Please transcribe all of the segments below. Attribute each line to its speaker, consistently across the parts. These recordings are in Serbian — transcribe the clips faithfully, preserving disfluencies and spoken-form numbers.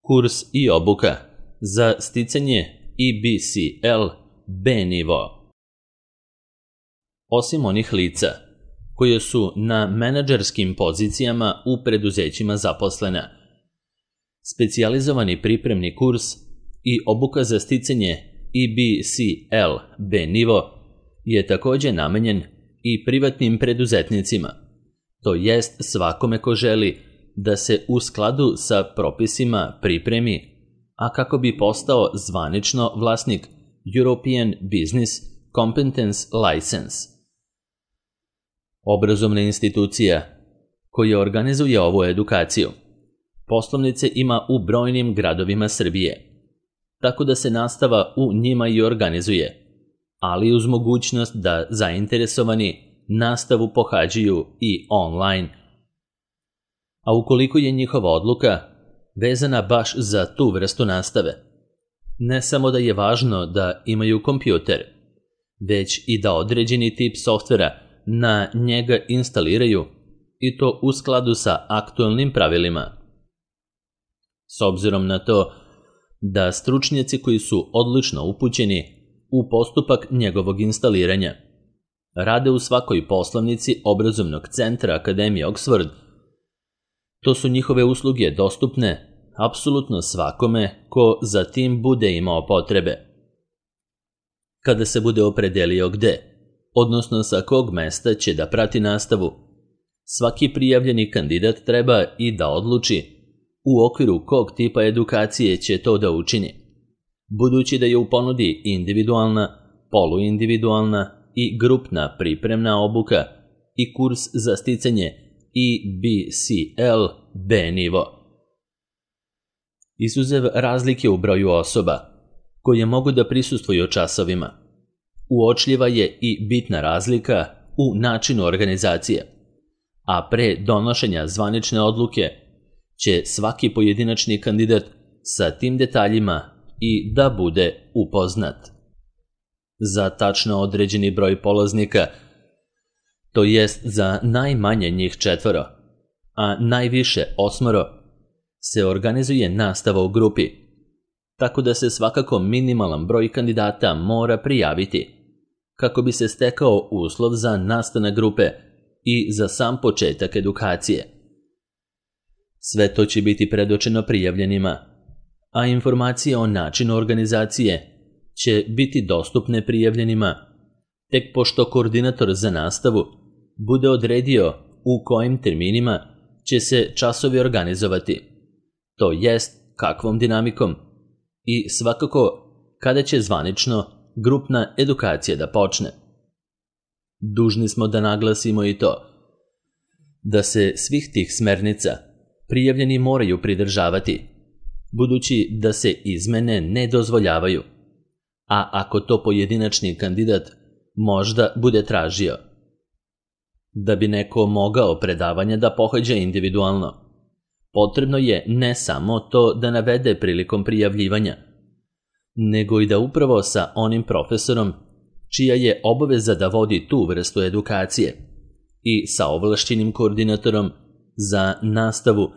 Speaker 1: Kurs i obuka za sticanje E B C L B nivo. Osim onih lica koje su na menadžerskim pozicijama u preduzećima zaposlena, specijalizovani pripremni kurs i obuka za sticanje E B C L B nivo je također namenjen i privatnim preduzetnicima, to jest svakome ko želi da se u skladu sa propisima pripremi, a kako bi postao zvanično vlasnik European Business Competence License. Obrazovna institucija koja organizuje ovu edukaciju poslovnice ima u brojnim gradovima Srbije, tako da se nastava u njima i organizuje, ali uz mogućnost da zainteresovani nastavu pohađaju i online. A ukoliko je njihova odluka vezana baš za tu vrstu nastave, ne samo da je važno da imaju kompjuter, već i da određeni tip softvera na njega instaliraju i to u skladu sa aktualnim pravilima. S obzirom na to da stručnjaci koji su odlično upućeni u postupak njegovog instaliranja rade u svakoj poslovnici obrazovnog centra Akademije Oxford, to su njihove usluge dostupne apsolutno svakome ko za tim bude imao potrebe. Kada se bude opredelio gde, odnosno sa kog mesta će da prati nastavu, svaki prijavljeni kandidat treba i da odluči u okviru kog tipa edukacije će to da učini, budući da je u ponudi individualna, poluindividualna i grupna pripremna obuka i kurs za sticanje E B C L B nivo. Izuzev razlike u broju osoba koje mogu da prisustvuju časovima, uočljiva je i bitna razlika u načinu organizacije, a pre donošenja zvanične odluke će svaki pojedinačni kandidat sa tim detaljima i da bude upoznat. Za tačno određeni broj polaznika, to jest za najmanje njih četvoro, a najviše osmoro, se organizuje nastava u grupi, tako da se svakako minimalan broj kandidata mora prijaviti, kako bi se stekao uslov za nastanak grupe i za sam početak edukacije. Sve to će biti predočeno prijavljenima, a informacije o načinu organizacije će biti dostupne prijavljenima tek pošto koordinator za nastavu bude odredio u kojim terminima će se časovi organizovati, to jest kakvom dinamikom i svakako kada će zvanično grupna edukacija da počne. Dužni smo da naglasimo i to da se svih tih smernica prijavljeni moraju pridržavati, budući da se izmene ne dozvoljavaju, a ako to pojedinačni kandidat možda bude tražio. Da bi neko mogao predavanja da pohađa individualno, potrebno je ne samo to da navede prilikom prijavljivanja, nego i da upravo sa onim profesorom čija je obaveza da vodi tu vrstu edukacije i sa ovlašćenim koordinatorom za nastavu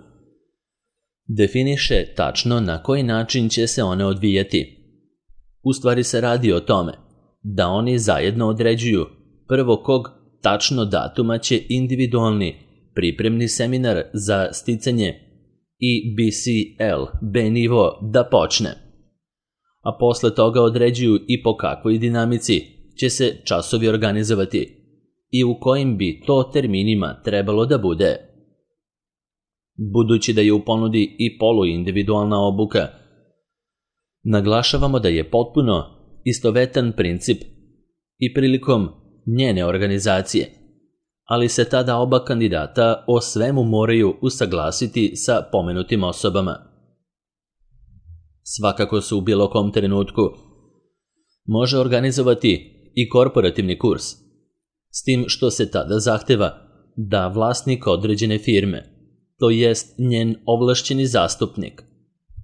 Speaker 1: definiše tačno na koji način će se one odvijati. U stvari se radi o tome da oni zajedno određuju prvo kog tačno datuma će individualni pripremni seminar za sticanje E B C L B nivo da počne, a posle toga određuju i po kakvoj dinamici će se časovi organizovati i u kojim bi to terminima trebalo da bude. Budući da je u ponudi i poluindividualna obuka, naglašavamo da je potpuno istovetan princip i prilikom njene organizacije, ali se tada oba kandidata o svemu moraju usaglasiti sa pomenutim osobama. Svakako se u bilo kom trenutku može organizovati i korporativni kurs, s tim što se tada zahteva da vlasnik određene firme, to jest njen ovlašćeni zastupnik,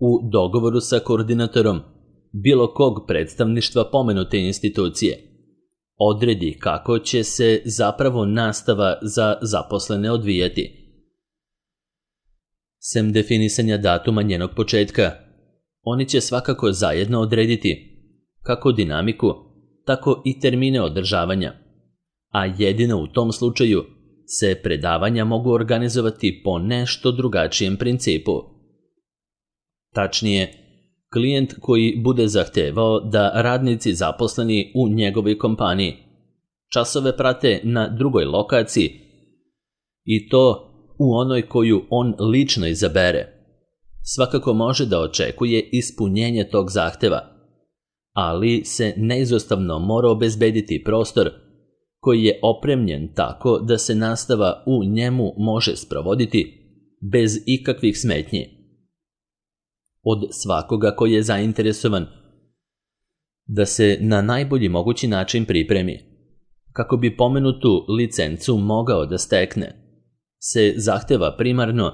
Speaker 1: u dogovoru sa koordinatorom bilo kog predstavništva pomenute institucije, odredi kako će se zapravo nastava za zaposlene odvijati. Sem definisanja datuma njenog početka, oni će svakako zajedno odrediti kako dinamiku, tako i termine održavanja, a jedino u tom slučaju se predavanja mogu organizovati po nešto drugačijem principu. Tačnije, klijent koji bude zahtevao da radnici zaposleni u njegovoj kompaniji časove prate na drugoj lokaciji i to u onoj koju on lično izabere, svakako može da očekuje ispunjenje tog zahteva, ali se neizostavno mora obezbediti prostor koji je opremljen tako da se nastava u njemu može sprovoditi bez ikakvih smetnji. Od svakoga koji je zainteresovan da se na najbolji mogući način pripremi, kako bi pomenutu licencu mogao da stekne, se zahteva primarno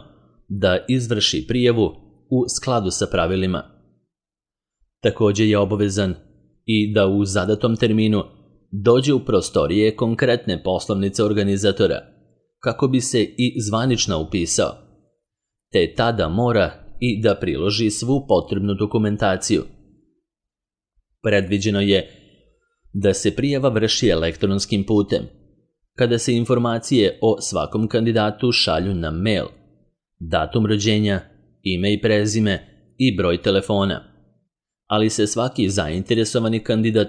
Speaker 1: da izvrši prijavu u skladu sa pravilima. Također je obavezan i da u zadatom terminu dođe u prostorije konkretne poslovnice organizatora, kako bi se i zvanično upisao, te tada mora i da priloži svu potrebnu dokumentaciju. Predviđeno je da se prijava vrši elektronskim putem, kada se informacije o svakom kandidatu šalju na mail, datum rođenja, ime i prezime i broj telefona, ali se svaki zainteresovani kandidat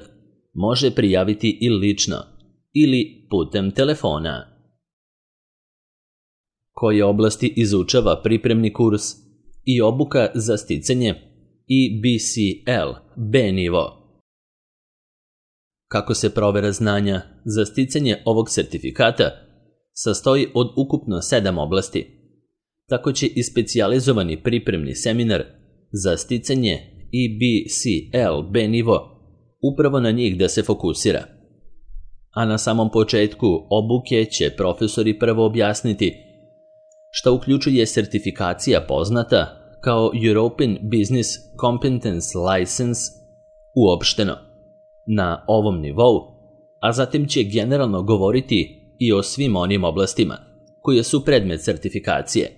Speaker 1: može prijaviti i lično ili putem telefona. Koje oblasti izučava pripremni kurs i obuka za sticanje E B C L B nivo? Kako se provera znanja za sticanje ovog sertifikata sastoji od ukupno sedam oblasti, tako će i specijalizovani pripremni seminar za sticanje E B C L B nivo upravo na njih da se fokusira. A na samom početku obuke će profesori prvo objasniti šta uključuje sertifikacija poznata kao European Business Competence License uopšteno na ovom nivou, a zatim će generalno govoriti i o svim onim oblastima koje su predmet sertifikacije.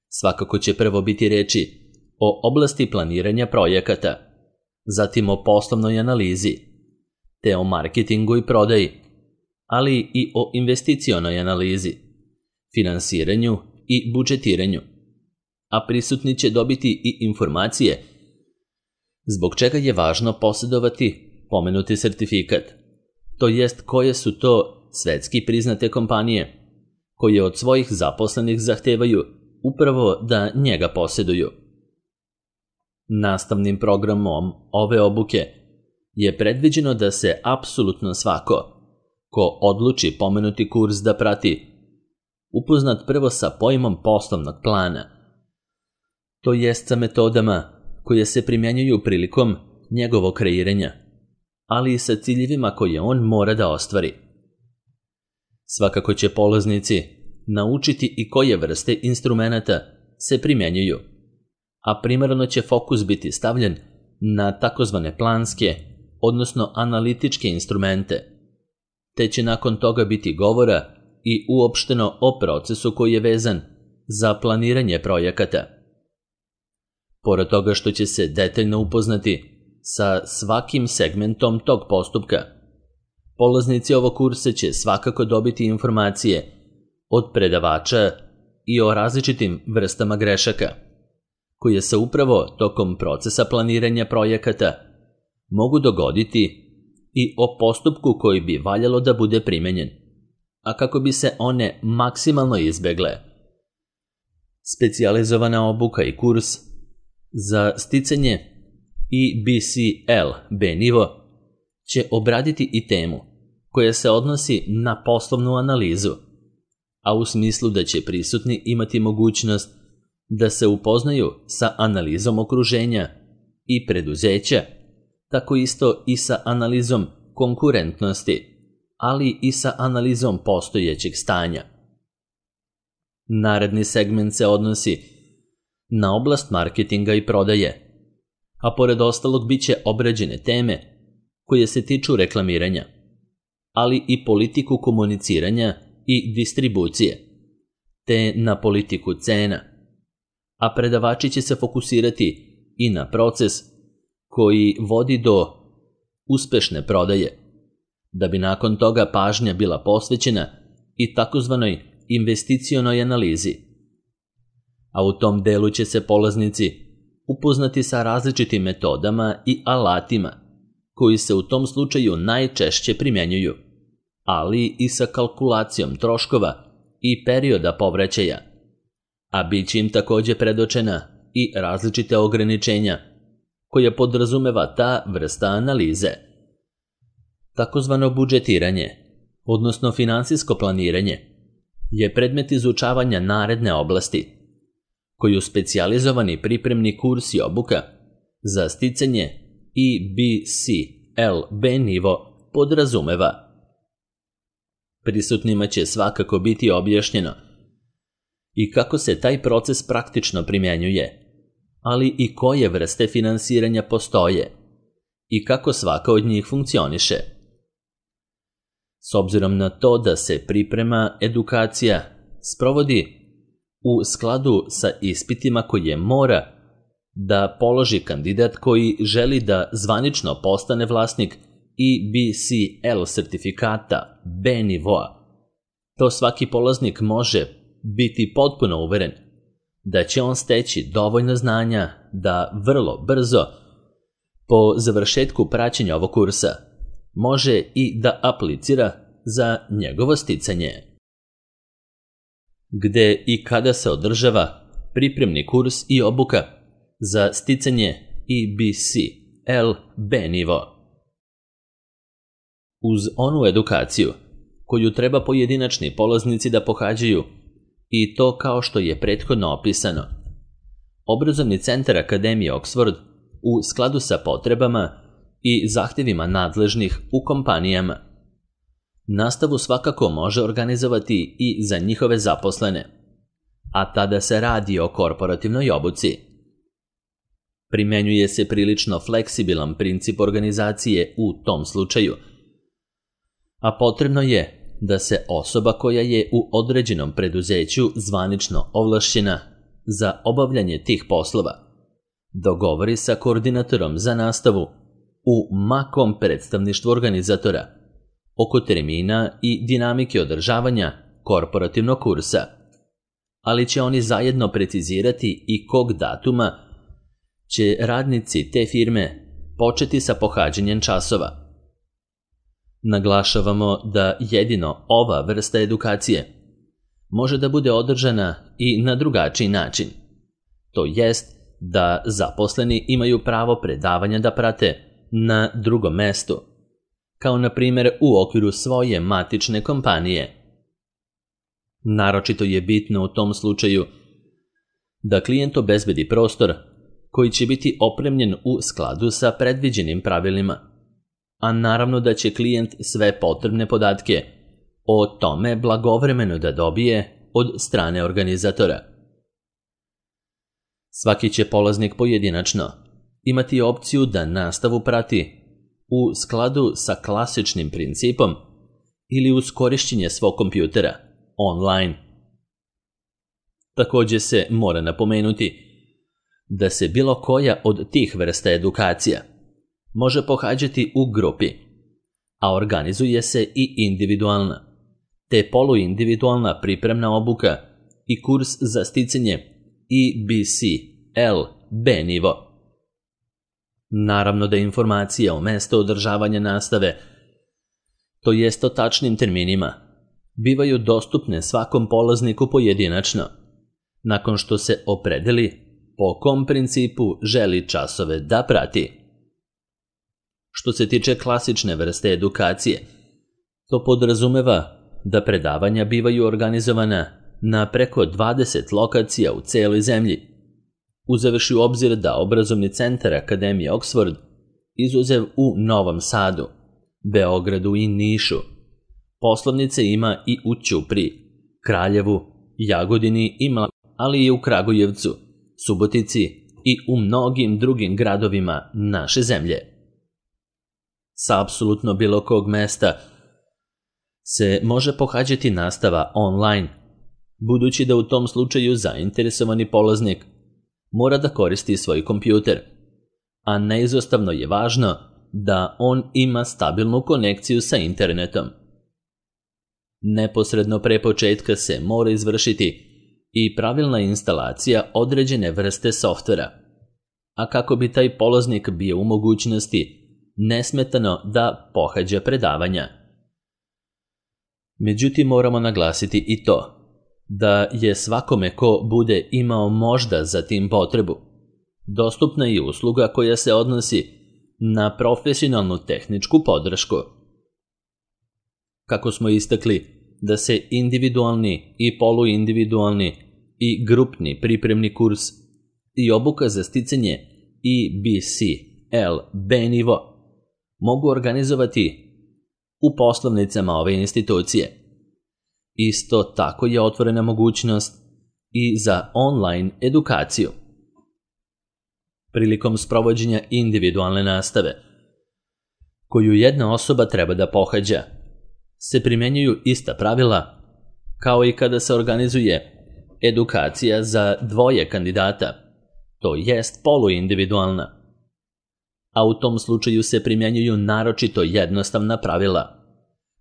Speaker 1: Svakako će prvo biti reči o oblasti planiranja projekata, zatim o poslovnoj analizi, te o marketingu i prodaji, ali i o investicionoj analizi, finansiranju i budžetiranju, a prisutni će dobiti i informacije zbog čega je važno posjedovati pomenuti sertifikat, to jest koje su to svetski priznate kompanije koje od svojih zaposlenih zahtevaju upravo da njega posjeduju. Nastavnim programom ove obuke je predviđeno da se apsolutno svako ko odluči pomenuti kurs da prati upoznat prvo sa pojmom poslovnog plana, to jest sa metodama koje se primjenjuju prilikom njegovog kreiranja, ali i sa ciljevima koje on mora da ostvari. Svakako će polaznici naučiti i koje vrste instrumenata se primjenjuju, a primarno će fokus biti stavljen na takozvane planske, odnosno analitičke instrumente, te će nakon toga biti govora i uopšteno o procesu koji je vezan za planiranje projekata. Pored toga što će se detaljno upoznati sa svakim segmentom tog postupka, polaznici ovog kursa će svakako dobiti informacije od predavača i o različitim vrstama grešaka, koje se upravo tokom procesa planiranja projekata mogu dogoditi i o postupku koji bi valjalo da bude primenjen, a kako bi se one maksimalno izbegle. Specijalizovana obuka i kurs za sticanje E B C L B nivo će obraditi i temu koja se odnosi na poslovnu analizu, a u smislu da će prisutni imati mogućnost da se upoznaju sa analizom okruženja i preduzeća, tako isto i sa analizom konkurentnosti, ali i sa analizom postojećeg stanja. Naredni segment se odnosi na oblast marketinga i prodaje, a pored ostalog bit će obrađene teme koje se tiču reklamiranja, ali i politiku komuniciranja i distribucije, te na politiku cena, a predavači će se fokusirati i na proces koji vodi do uspešne prodaje, da bi nakon toga pažnja bila posvećena i takozvanoj investicionoj analizi. A u tom delu će se polaznici upoznati sa različitim metodama i alatima koji se u tom slučaju najčešće primjenjuju, ali i sa kalkulacijom troškova i perioda povraćaja, a bit će im također predočena i različite ograničenja koje podrazumeva ta vrsta analize. Takozvano budžetiranje, odnosno finansijsko planiranje, je predmet izučavanja naredne oblasti, koju specijalizovani pripremni kurs i obuka za sticanje E B C L B nivo podrazumeva. Prisutnima će svakako biti objašnjeno i kako se taj proces praktično primjenjuje, ali i koje vrste finansiranja postoje i kako svaka od njih funkcioniše. S obzirom na to da se priprema edukacija sprovodi u skladu sa ispitima koje mora da položi kandidat koji želi da zvanično postane vlasnik E B C L sertifikata B nivoa, to svaki polaznik može biti potpuno uveren da će on steći dovoljno znanja da vrlo brzo, po završetku praćenja ovog kursa, može i da aplicira za njegovo sticanje. Gde i kada se održava pripremni kurs i obuka za sticanje E B C L B nivo. Uz onu edukaciju koju treba pojedinačni polaznici da pohađaju, i to kao što je prethodno opisano, Obrazovni centar Akademije Oxford u skladu sa potrebama i zahtjevima nadležnih u kompanijama nastavu svakako može organizovati i za njihove zaposlene, a tada se radi o korporativnoj obuci. Primenjuje se prilično fleksibilan princip organizacije u tom slučaju, a potrebno je da se osoba koja je u određenom preduzeću zvanično ovlašćena za obavljanje tih poslova dogovori sa koordinatorom za nastavu u makom predstavništvu organizatora oko termina i dinamike održavanja korporativnog kursa, ali će oni zajedno precizirati i kog datuma će radnici te firme početi sa pohađanjem časova. Naglašavamo da jedino ova vrsta edukacije može da bude održana i na drugačiji način, to jest da zaposleni imaju pravo predavanja da prate na drugom mestu, kao na primjer u okviru svoje matične kompanije. Naročito je bitno u tom slučaju da klijent obezbedi prostor koji će biti opremljen u skladu sa predviđenim pravilima, a naravno da će klijent sve potrebne podatke o tome blagovremeno da dobije od strane organizatora. Svaki će polaznik pojedinačno imati opciju da nastavu prati u skladu sa klasičnim principom ili uz korišćenje svog kompjutera online. Također se mora napomenuti da se bilo koja od tih vrsta edukacija može pohađati u grupi, a organizuje se i individualna, te poluindividualna pripremna obuka i kurs za sticanje E B C L B nivo. Naravno da informacije o mestu održavanja nastave, to jest o tačnim terminima, bivaju dostupne svakom polazniku pojedinačno, nakon što se opredeli po kom principu želi časove da prati. Što se tiče klasične vrste edukacije, to podrazumeva da predavanja bivaju organizovana na preko dvadeset lokacija u celoj zemlji, uzevši u obzir da Obrazovni centar Akademije Oxford, izuzev u Novom Sadu, Beogradu i Nišu, poslovnice ima i u Ćupriji, Kraljevu, Jagodini i Mla, ali i u Kragujevcu, Subotici i u mnogim drugim gradovima naše zemlje. Sa apsolutno bilo kog mesta se može pohađati nastava online, budući da u tom slučaju zainteresovani polaznik mora da koristi svoj kompjuter, a neizostavno je važno da on ima stabilnu konekciju sa internetom. Neposredno pre početka se mora izvršiti i pravilna instalacija određene vrste softvera, a kako bi taj polaznik bio u mogućnosti nesmetano da pohađa predavanja. Međutim, moramo naglasiti i to da je svakome ko bude imao možda za tim potrebu dostupna i usluga koja se odnosi na profesionalnu tehničku podršku. Kako smo istakli da se individualni i poluindividualni i grupni pripremni kurs i obuka za sticanje E B C L B nivo mogu organizovati u poslovnicama ove institucije. Isto tako je otvorena mogućnost i za online edukaciju. Prilikom sprovođenja individualne nastave, koju jedna osoba treba da pohađa, se primenjuju ista pravila kao i kada se organizuje edukacija za dvoje kandidata, to jest poluindividualna. A u tom slučaju se primjenjuju naročito jednostavna pravila,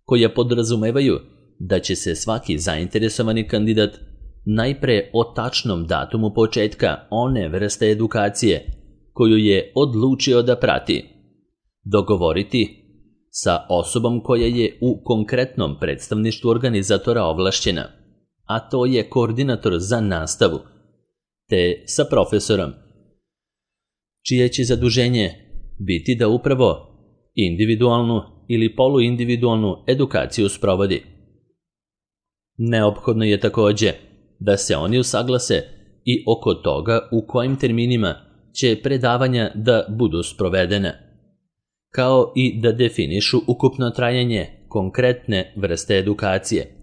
Speaker 1: koja podrazumevaju da će se svaki zainteresovani kandidat najpre o tačnom datumu početka one vrste edukacije koju je odlučio da prati dogovoriti sa osobom koja je u konkretnom predstavništvu organizatora ovlašćena, a to je koordinator za nastavu, te sa profesorom, čije će zaduženje biti da upravo individualnu ili poluindividualnu edukaciju sprovodi. Neophodno je takođe da se oni usaglase i oko toga u kojim terminima će predavanja da budu sprovedene, kao i da definišu ukupno trajanje konkretne vrste edukacije,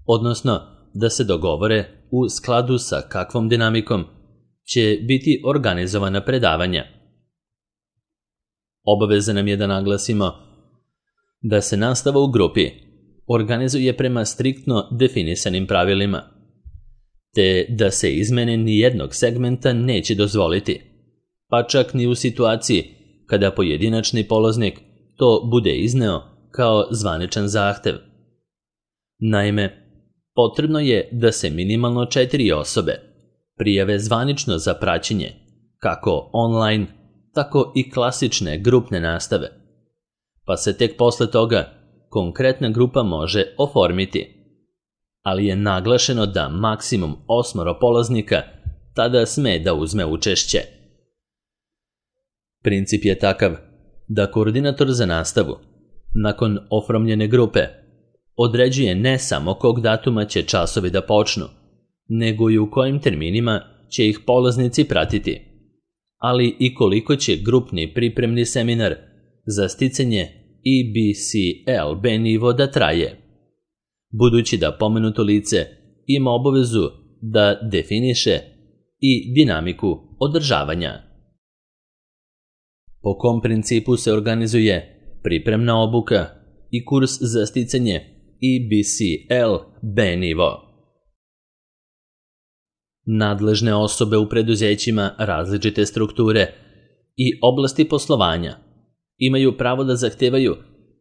Speaker 1: odnosno da se dogovore u skladu sa kakvom dinamikom će biti organizovana predavanja. Obaveza nam je da naglasimo da se nastava u grupi organizuje prema striktno definisanim pravilima, te da se izmene nijednog segmenta neće dozvoliti, pa čak ni u situaciji kada pojedinačni polaznik to bude izneo kao zvaničan zahtev. Naime, potrebno je da se minimalno četiri osobe prijave zvanično za praćenje, kako online, tako i klasične grupne nastave, pa se tek posle toga konkretna grupa može oformiti, ali je naglašeno da maksimum osmoro polaznika tada sme da uzme učešće. Princip je takav da koordinator za nastavu, nakon oformljene grupe, određuje ne samo kog datuma će časovi da počnu, nego i u kojim terminima će ih polaznici pratiti, ali i koliko će grupni pripremni seminar za sticanje E B C L B nivo da traje, budući da pomenuto lice ima obavezu da definiše i dinamiku održavanja. Po kom principu se organizuje pripremna obuka i kurs za sticanje E B C L B nivo. Nadležne osobe u preduzećima različite strukture i oblasti poslovanja imaju pravo da zahtevaju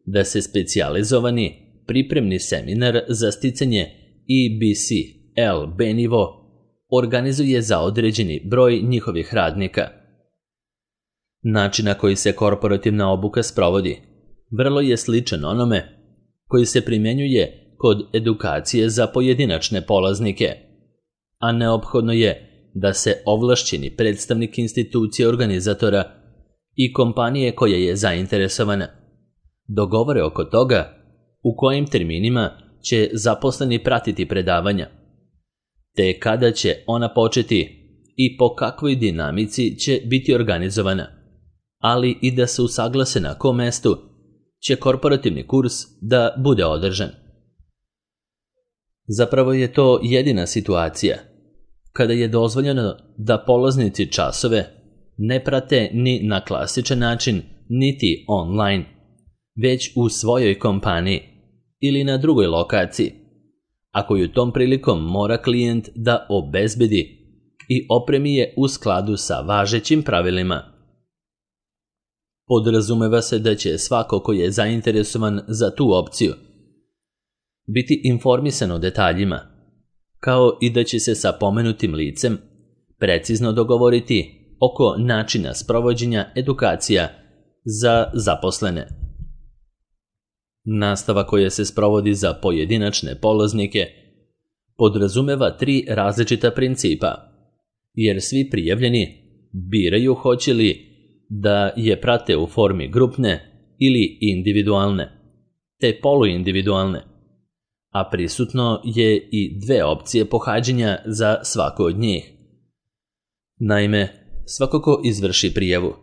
Speaker 1: da se specijalizovani pripremni seminar za sticanje E B C L B nivo organizuje za određeni broj njihovih radnika. Način na koji se korporativna obuka sprovodi vrlo je sličan onome koji se primjenjuje kod edukacije za pojedinačne polaznike, a neophodno je da se ovlašćeni predstavnik institucije organizatora i kompanije koja je zainteresovana dogovore oko toga u kojim terminima će zaposleni pratiti predavanja, te kada će ona početi i po kakvoj dinamici će biti organizovana, ali i da se usaglase na kom mestu će korporativni kurs da bude održan. Zapravo je to jedina situacija kada je dozvoljeno da polaznici časove ne prate ni na klasičan način, niti online, već u svojoj kompaniji ili na drugoj lokaciji, a koju tom prilikom mora klijent da obezbedi i opremi je u skladu sa važećim pravilima. Podrazumeva se da će svako ko je zainteresovan za tu opciju biti informisan o detaljima, kao i da će se sa pomenutim licem precizno dogovoriti oko načina sprovođenja edukacija za zaposlene. Nastava koja se sprovodi za pojedinačne polaznike podrazumeva tri različita principa, jer svi prijavljeni biraju hoće li da je prate u formi grupne ili individualne, te poluindividualne, a prisutno je i dve opcije pohađanja za svako od njih. Naime, svako ko izvrši prijavu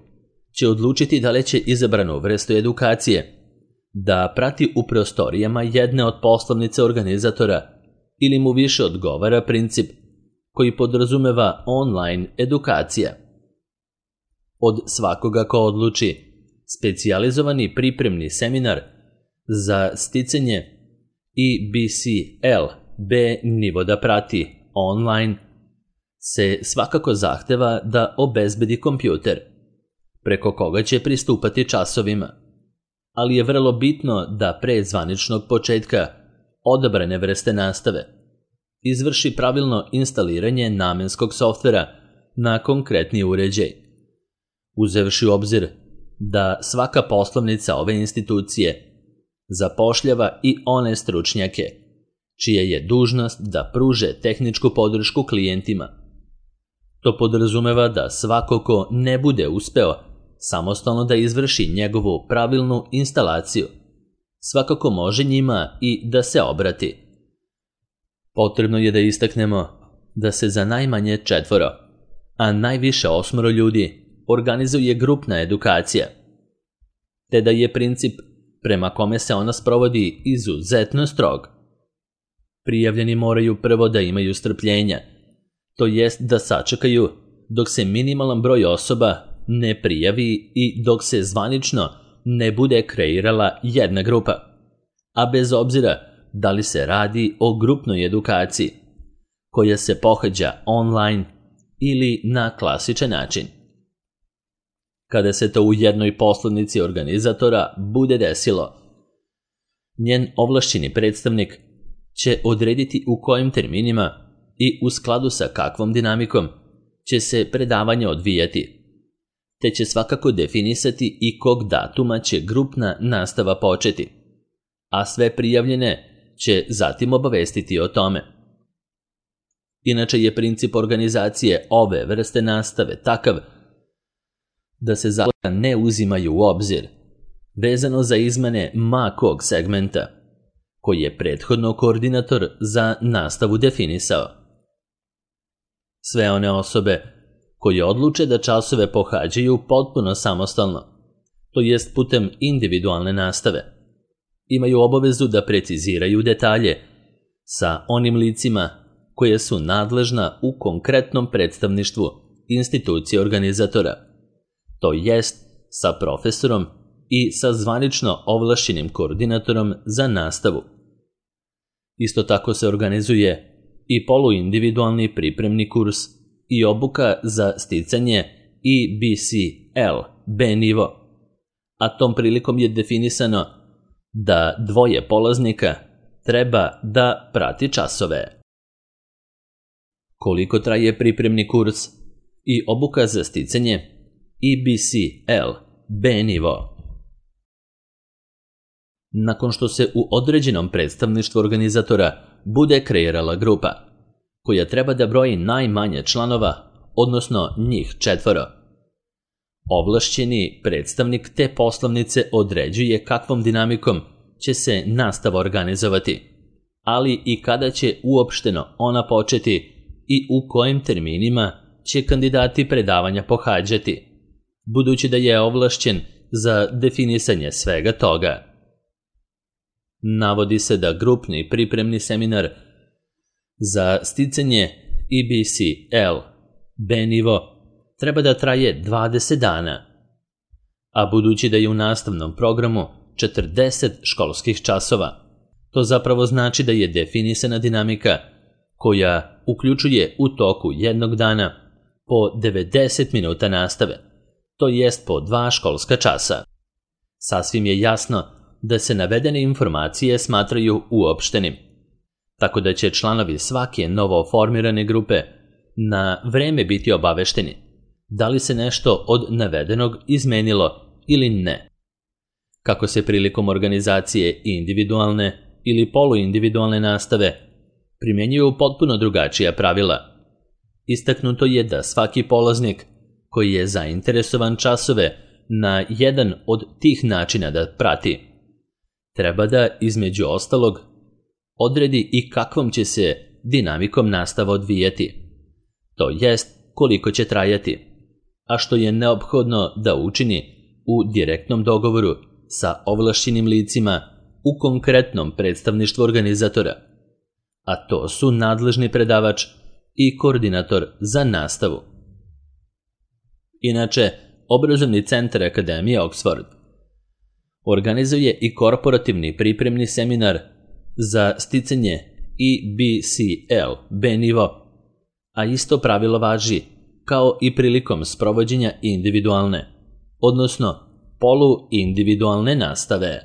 Speaker 1: će odlučiti da li će izabranu vrstu edukacije da prati u prostorijama jedne od poslovnice organizatora ili mu više odgovara princip koji podrazumeva online edukacija. Od svakoga ko odluči specijalizovani pripremni seminar za sticanje E B C L B nivo da prati online se svakako zahteva da obezbedi kompjuter, preko koga će pristupati časovima, ali je vrlo bitno da pre zvaničnog početka odabrane vrste nastave izvrši pravilno instaliranje namenskog softvera na konkretni uređaj, uzevši u obzir da svaka poslovnica ove institucije zapošljava i one stručnjake čija je dužnost da pruže tehničku podršku klijentima. To podrazumeva da svako ko ne bude uspeo samostalno da izvrši njegovu pravilnu instalaciju, svakako može njima i da se obrati. Potrebno je da istaknemo da se za najmanje četvoro, a najviše osmoro ljudi organizuje grupna edukacija, te da je princip prema kome se ona sprovodi izuzetno strog. Prijavljeni moraju prvo da imaju strpljenja, to jest da sačekaju dok se minimalan broj osoba ne prijavi i dok se zvanično ne bude kreirala jedna grupa, a bez obzira da li se radi o grupnoj edukaciji, koja se pohađa online ili na klasičan način. Kada se to u jednoj poslovnici organizatora bude desilo, njen ovlašćeni predstavnik će odrediti u kojim terminima i u skladu sa kakvom dinamikom će se predavanje odvijati, te će svakako definisati i kog datuma će grupna nastava početi, a sve prijavljene će zatim obavestiti o tome. Inače je princip organizacije ove vrste nastave takav da se zakona ne uzimaju u obzir, vezano za izmene ma kog segmenta, koji je prethodno koordinator za nastavu definisao. Sve one osobe koje odluče da časove pohađaju potpuno samostalno, to jest putem individualne nastave, imaju obavezu da preciziraju detalje sa onim licima koje su nadležna u konkretnom predstavništvu institucije organizatora, to jest sa profesorom i sa zvanično ovlašćenim koordinatorom za nastavu. Isto tako se organizuje i poluindividualni pripremni kurs i obuka za sticanje E B C L B nivo, a tom prilikom je definisano da dvoje polaznika treba da prati časove. Koliko traje pripremni kurs i obuka za sticanje E B C L B nivo? Nakon što se u određenom predstavništvu organizatora bude kreirala grupa, koja treba da broji najmanje članova, odnosno njih četvoro, ovlašćeni predstavnik te poslovnice određuje kakvom dinamikom će se nastava organizovati, ali i kada će uopšteno ona početi i u kojim terminima će kandidati predavanja pohađati, budući da je ovlašćen za definisanje svega toga. Navodi se da grupni pripremni seminar za sticanje E B C L B nivo treba da traje dvadeset dana, a budući da je u nastavnom programu četrdeset školskih časova, to zapravo znači da je definisana dinamika koja uključuje u toku jednog dana po devedeset minuta nastave, to jest po dva školska časa. Sasvim je jasno da se navedene informacije smatraju uopštenim, tako da će članovi svake novo formirane grupe na vreme biti obavešteni da li se nešto od navedenog izmenilo ili ne. Kako se prilikom organizacije individualne ili poluindividualne nastave primjenjuju potpuno drugačija pravila. Istaknuto je da svaki polaznik koji je zainteresovan časove na jedan od tih načina da prati, treba da, između ostalog, odredi i kakvom će se dinamikom nastava odvijati, to jest koliko će trajati, a što je neophodno da učini u direktnom dogovoru sa ovlašćenim licima u konkretnom predstavništvu organizatora, a to su nadležni predavač i koordinator za nastavu. Inače, Obrazovni centar Akademije Oxford organizuje i korporativni pripremni seminar za sticanje E B C L B nivo, a isto pravilo važi kao i prilikom sprovođenja individualne, odnosno poluindividualne nastave.